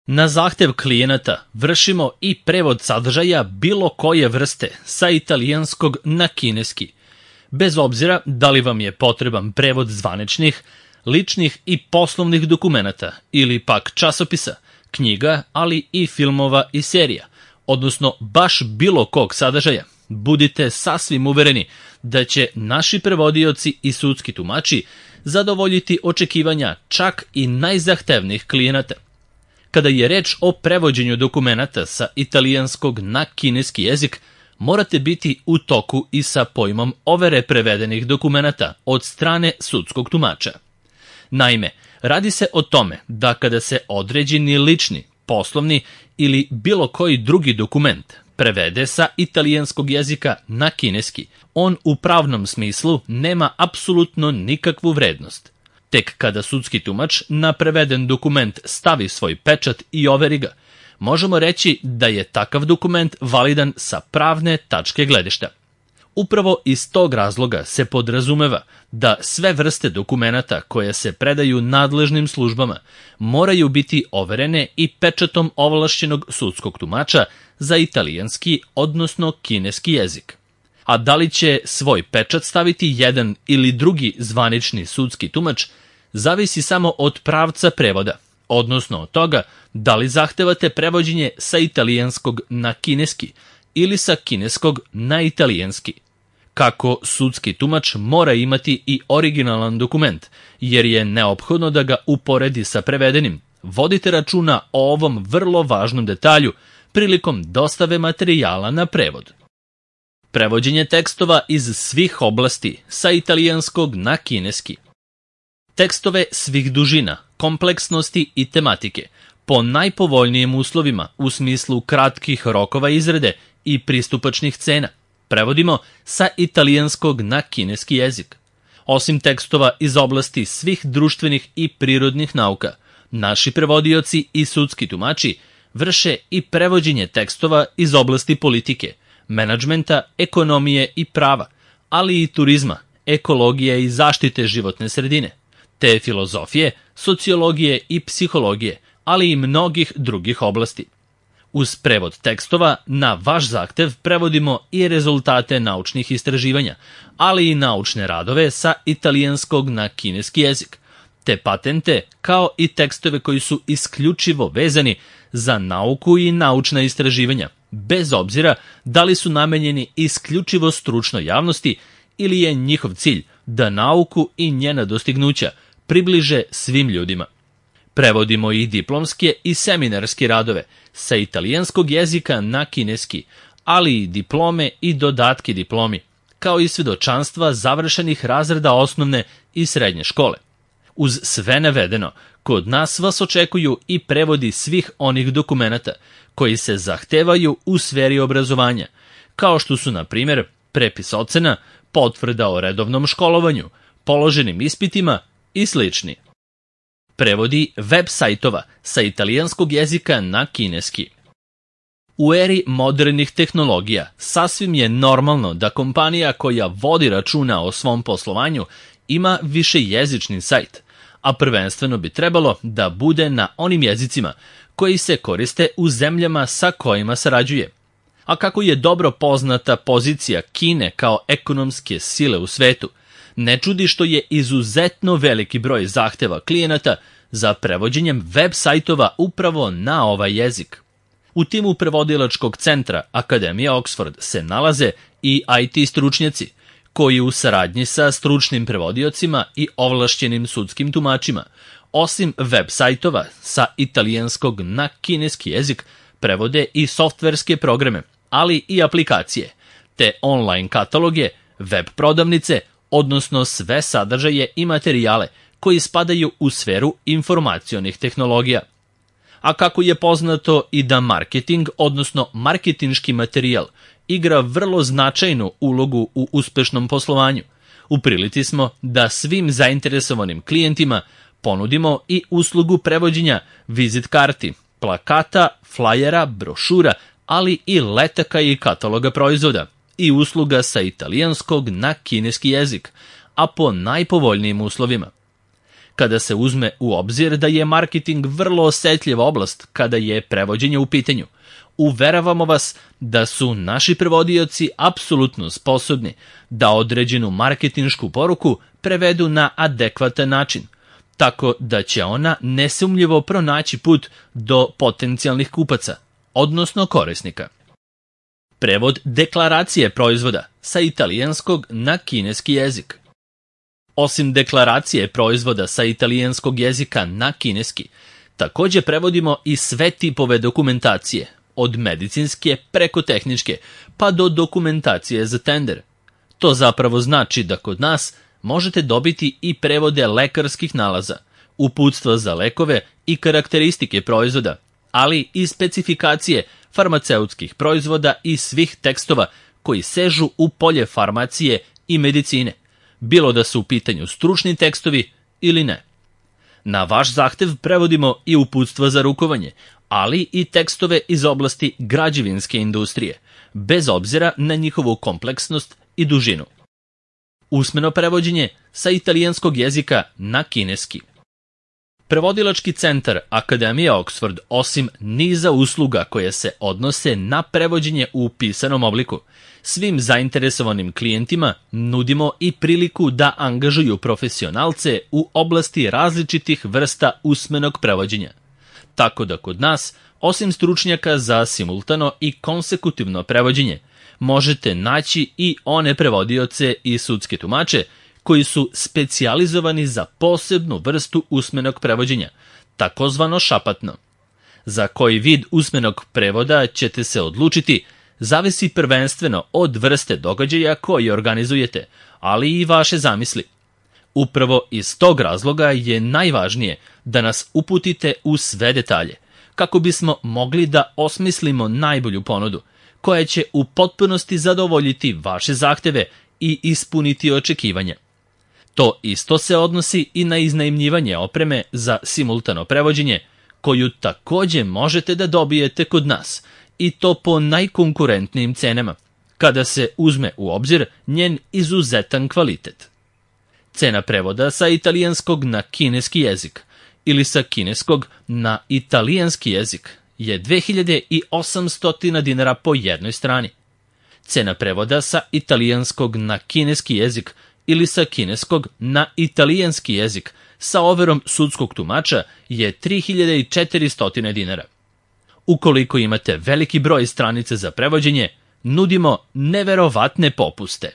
Na zahtev klijenata vršimo i prevod sadržaja bilo koje vrste sa italijanskog na kineski, bez obzira da li vam je potreban prevod zvaničnih, ličnih i poslovnih dokumenata ili pak časopisa, knjiga, ali i filmova i serija, odnosno baš bilo kog sadržaja. Budite sasvim uvereni da će naši prevodioci i sudski tumači zadovoljiti očekivanja čak i najzahtevnijih klijenata. Kada je reč o prevođenju dokumenata sa italijanskog na kineski jezik, morate biti u toku i sa pojmom overe prevedenih dokumenata od strane sudskog tumača. Naime, radi se o tome da kada se određeni lični, poslovni ili bilo koji drugi dokument prevede sa italijanskog jezika na kineski, on u pravnom smislu nema apsolutno nikakvu vrednost. Tek kada sudski tumač na preveden dokument stavi svoj pečat i overi ga, možemo reći da je takav dokument validan sa pravne tačke gledišta. Upravo iz tog razloga se podrazumeva da sve vrste dokumenata koje se predaju nadležnim službama moraju biti overene i pečatom ovlašćenog sudskog tumača za italijanski, odnosno kineski jezik. A da li će svoj pečat staviti jedan ili drugi zvanični sudski tumač, zavisi samo od pravca prevoda, odnosno od toga da li zahtevate prevođenje sa italijanskog na kineski ili sa kineskog na italijanski. Kako sudski tumač mora imati i originalan dokument, jer je neophodno da ga uporedi sa prevedenim, vodite računa o ovom vrlo važnom detalju prilikom dostave materijala na prevod. Prevođenje tekstova iz svih oblasti sa italijanskog na kineski. Tekstove svih dužina, kompleksnosti i tematike, po najpovoljnijim uslovima u smislu kratkih rokova izrade i pristupačnih cena, prevodimo sa italijanskog na kineski jezik. Osim tekstova iz oblasti svih društvenih i prirodnih nauka, naši prevodioci i sudski tumači vrše i prevođenje tekstova iz oblasti politike, menadžmenta, ekonomije i prava, ali i turizma, ekologije i zaštite životne sredine, te filozofije, sociologije i psihologije, ali i mnogih drugih oblasti. Uz prevod tekstova na vaš zahtev prevodimo i rezultate naučnih istraživanja, ali i naučne radove sa italijanskog na kineski jezik, te patente kao i tekstove koji su isključivo vezani za nauku i naučna istraživanja, bez obzira da li su namenjeni isključivo stručnoj javnosti ili je njihov cilj da nauku i njena dostignuća približe svim ljudima. Prevodimo i diplomske i seminarske radove sa italijanskog jezika na kineski, ali i diplome i dodatke diplomi, kao i svedočanstva završenih razreda osnovne i srednje škole. Uz sve navedeno, kod nas vas očekuju i prevodi svih onih dokumenata koji se zahtevaju u sferi obrazovanja, kao što su, na primjer, prepis ocena, potvrda o redovnom školovanju, položenim ispitima i slični. Prevodi web sajtova sa italijanskog jezika na kineski. U eri modernih tehnologija sasvim je normalno da kompanija koja vodi računa o svom poslovanju ima višejezični sajt, a prvenstveno bi trebalo da bude na onim jezicima koji se koriste u zemljama sa kojima sarađuje. A kako je dobro poznata pozicija Kine kao ekonomske sile u svetu, ne čudi što je izuzetno veliki broj zahteva klijenata za prevođenjem web sajtova upravo na ovaj jezik. U timu prevodilačkog centra Akademije Oxford se nalaze i IT stručnjaci, koji u saradnji sa stručnim prevodiocima i ovlašćenim sudskim tumačima, osim web sajtova sa italijanskog na kineski jezik, prevode i softverske programe, ali i aplikacije, te online kataloge, web prodavnice, odnosno sve sadržaje i materijale koji spadaju u sferu informacionih tehnologija. A kako je poznato i da marketing, odnosno marketinški materijal, igra vrlo značajnu ulogu u uspešnom poslovanju, u prilici smo da svim zainteresovanim klijentima ponudimo i uslugu prevođenja vizit karti, plakata, flajera, brošura, ali i letaka i kataloga proizvoda i usluga sa italijanskog na kineski jezik, a po najpovoljnijim uslovima. kada se uzme u obzir da je marketing vrlo osetljiva oblast kada je prevođenje u pitanju. Uveravamo vas da su naši prevodioci apsolutno sposobni da određenu marketinšku poruku prevedu na adekvatan način, tako da će ona nesumnjivo pronaći put do potencijalnih kupaca, odnosno korisnika. Prevod deklaracije proizvoda sa italijanskog na kineski jezik. Osim deklaracije proizvoda sa italijanskog jezika na kineski, takođe prevodimo i sve tipove dokumentacije, od medicinske preko tehničke, pa do dokumentacije za tender. To zapravo znači da kod nas možete dobiti i prevode lekarskih nalaza, uputstva za lekove i karakteristike proizvoda, ali i specifikacije farmaceutskih proizvoda i svih tekstova koji sežu u polje farmacije i medicine, bilo da su u pitanju stručni tekstovi ili ne. Na vaš zahtev prevodimo i uputstva za rukovanje, ali i tekstove iz oblasti građevinske industrije, bez obzira na njihovu kompleksnost i dužinu. Usmeno prevođenje sa italijanskog jezika na kineski. Prevodilački centar Akademije Oxford, osim niza usluga koje se odnose na prevođenje u pisanom obliku, svim zainteresovanim klijentima nudimo i priliku da angažuju profesionalce u oblasti različitih vrsta usmenog prevođenja. Tako da kod nas, osim stručnjaka za simultano i konsekutivno prevođenje, možete naći i one prevodioce i sudske tumače koji su specijalizovani za posebnu vrstu usmenog prevođenja, takozvano šapatno. Za koji vid usmenog prevoda ćete se odlučiti zavisi prvenstveno od vrste događaja koji organizujete, ali i vaše zamisli. Upravo iz tog razloga je najvažnije da nas uputite u sve detalje, kako bismo mogli da osmislimo najbolju ponudu, koja će u potpunosti zadovoljiti vaše zahteve i ispuniti očekivanja. To isto se odnosi i na iznajmljivanje opreme za simultano prevođenje, koju takođe možete da dobijete kod nas, i to po najkonkurentnijim cenama, kada se uzme u obzir njen izuzetan kvalitet. Cena prevoda sa italijanskog na kineski jezik ili sa kineskog na italijanski jezik je 2800 dinara po jednoj strani. Cena prevoda sa italijanskog na kineski jezik ili sa kineskog na italijanski jezik sa overom sudskog tumača je 3400 dinara. Ukoliko imate veliki broj stranica za prevođenje, nudimo neverovatne popuste.